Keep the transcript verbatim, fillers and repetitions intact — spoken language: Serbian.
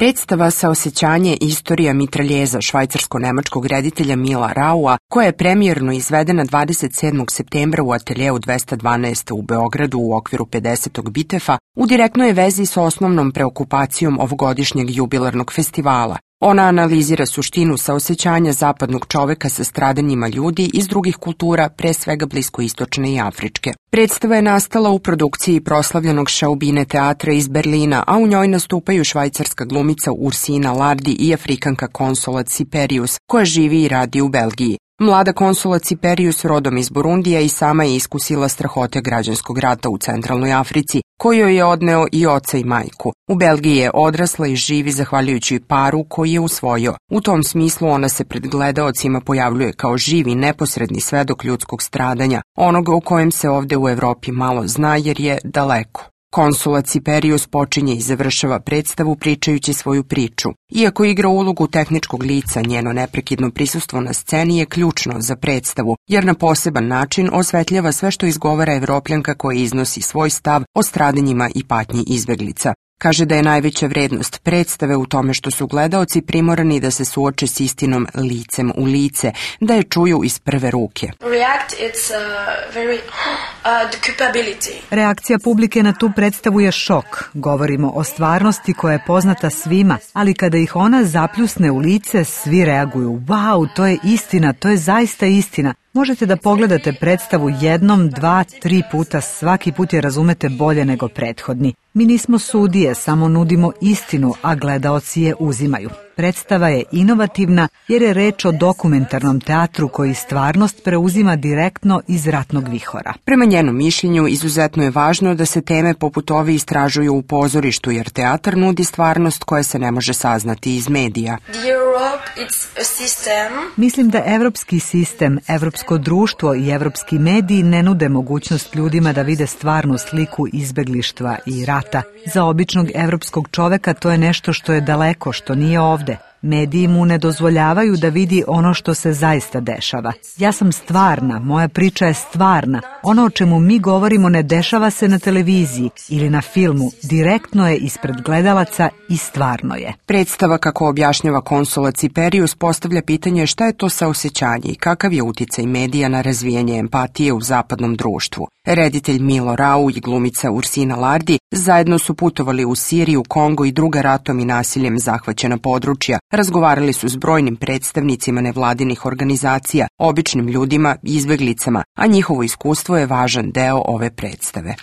Predstava Saosećanje istorija mitraljeza švajcarsko-nemačkog reditelja Mila Raua, koja je premijerno izvedena dvadeset sedmog septembra u ateljeu dvesta dvanaest u Beogradu u okviru pedesetog Bitefa, u direktnoj je vezi sa osnovnom preokupacijom ovogodišnjeg jubilarnog festivala. Ona analizira suštinu saosećanja zapadnog čoveka sa stradanjima ljudi iz drugih kultura, pre svega bliskoistočne i afričke. Predstava je nastala u produkciji proslavljenog Šaubine teatra iz Berlina, a u njoj nastupaju švajcarska glumica Ursina Lardi i Afrikanka Consola Ciperius, koja živi i radi u Belgiji. Mlada Consola Ciperius, rodom iz Burundija, i sama je iskusila strahote građanskog rata u centralnoj Africi, koju je odneo i oca i majku. U Belgiji je odrasla i živi zahvaljujući paru koji je usvojio. U tom smislu ona se pred gledaocima pojavljuje kao živi, neposredni svedok ljudskog stradanja, onoga o kojem se ovde u Evropi malo zna jer je daleko. Consola Ciperius počinje i završava predstavu pričajući svoju priču. Iako igra ulogu tehničkog lica, njeno neprekidno prisustvo na sceni je ključno za predstavu, jer na poseban način osvetljava sve što izgovara Evropljanka koja iznosi svoj stav o stradanjima i patnji izbeglica. Kaže da je najveća vrednost predstave u tome što su gledaoci primorani da se suoče s istinom licem u lice, da je čuju iz prve ruke. Reakcija publike na tu predstavu je šok. Govorimo o stvarnosti koja je poznata svima, ali kada ih ona zapljusne u lice, svi reaguju. Wow, to je istina, to je zaista istina. Možete da pogledate predstavu jednom, dva, tri puta, svaki put je razumete bolje nego prethodni. Mi nismo sudije, samo nudimo istinu, a gledaoci je uzimaju. Predstava je inovativna jer je reč o dokumentarnom teatru koji stvarnost preuzima direktno iz ratnog vihora. Prema njenom mišljenju, izuzetno je važno da se teme poput ove istražuju u pozorištu, jer teatar nudi stvarnost koja se ne može saznati iz medija. Mislim da evropski sistem, evropsko društvo i evropski mediji ne nude mogućnost ljudima da vide stvarnu sliku izbeglištva i rata. Za običnog evropskog čoveka to je nešto što je daleko, što nije ovde. Mediji mu ne dozvoljavaju da vidi ono što se zaista dešava. Ja sam stvarna, moja priča je stvarna. Ono o čemu mi govorimo ne dešava se na televiziji ili na filmu, direktno je ispred gledalaca i stvarno je. Predstava, kako objašnjava Consola Ciperius, postavlja pitanje šta je to saosećanje i kakav je uticaj medija na razvijanje empatije u zapadnom društvu. Reditelj Milo Rau i glumica Ursina Lardi zajedno su putovali u Siriju, Kongo i druga ratom i nasiljem zahvaćena područja. Razgovarali su s brojnim predstavnicima nevladinih organizacija, običnim ljudima i izbeglicama, a njihovo iskustvo je važan deo ove predstave.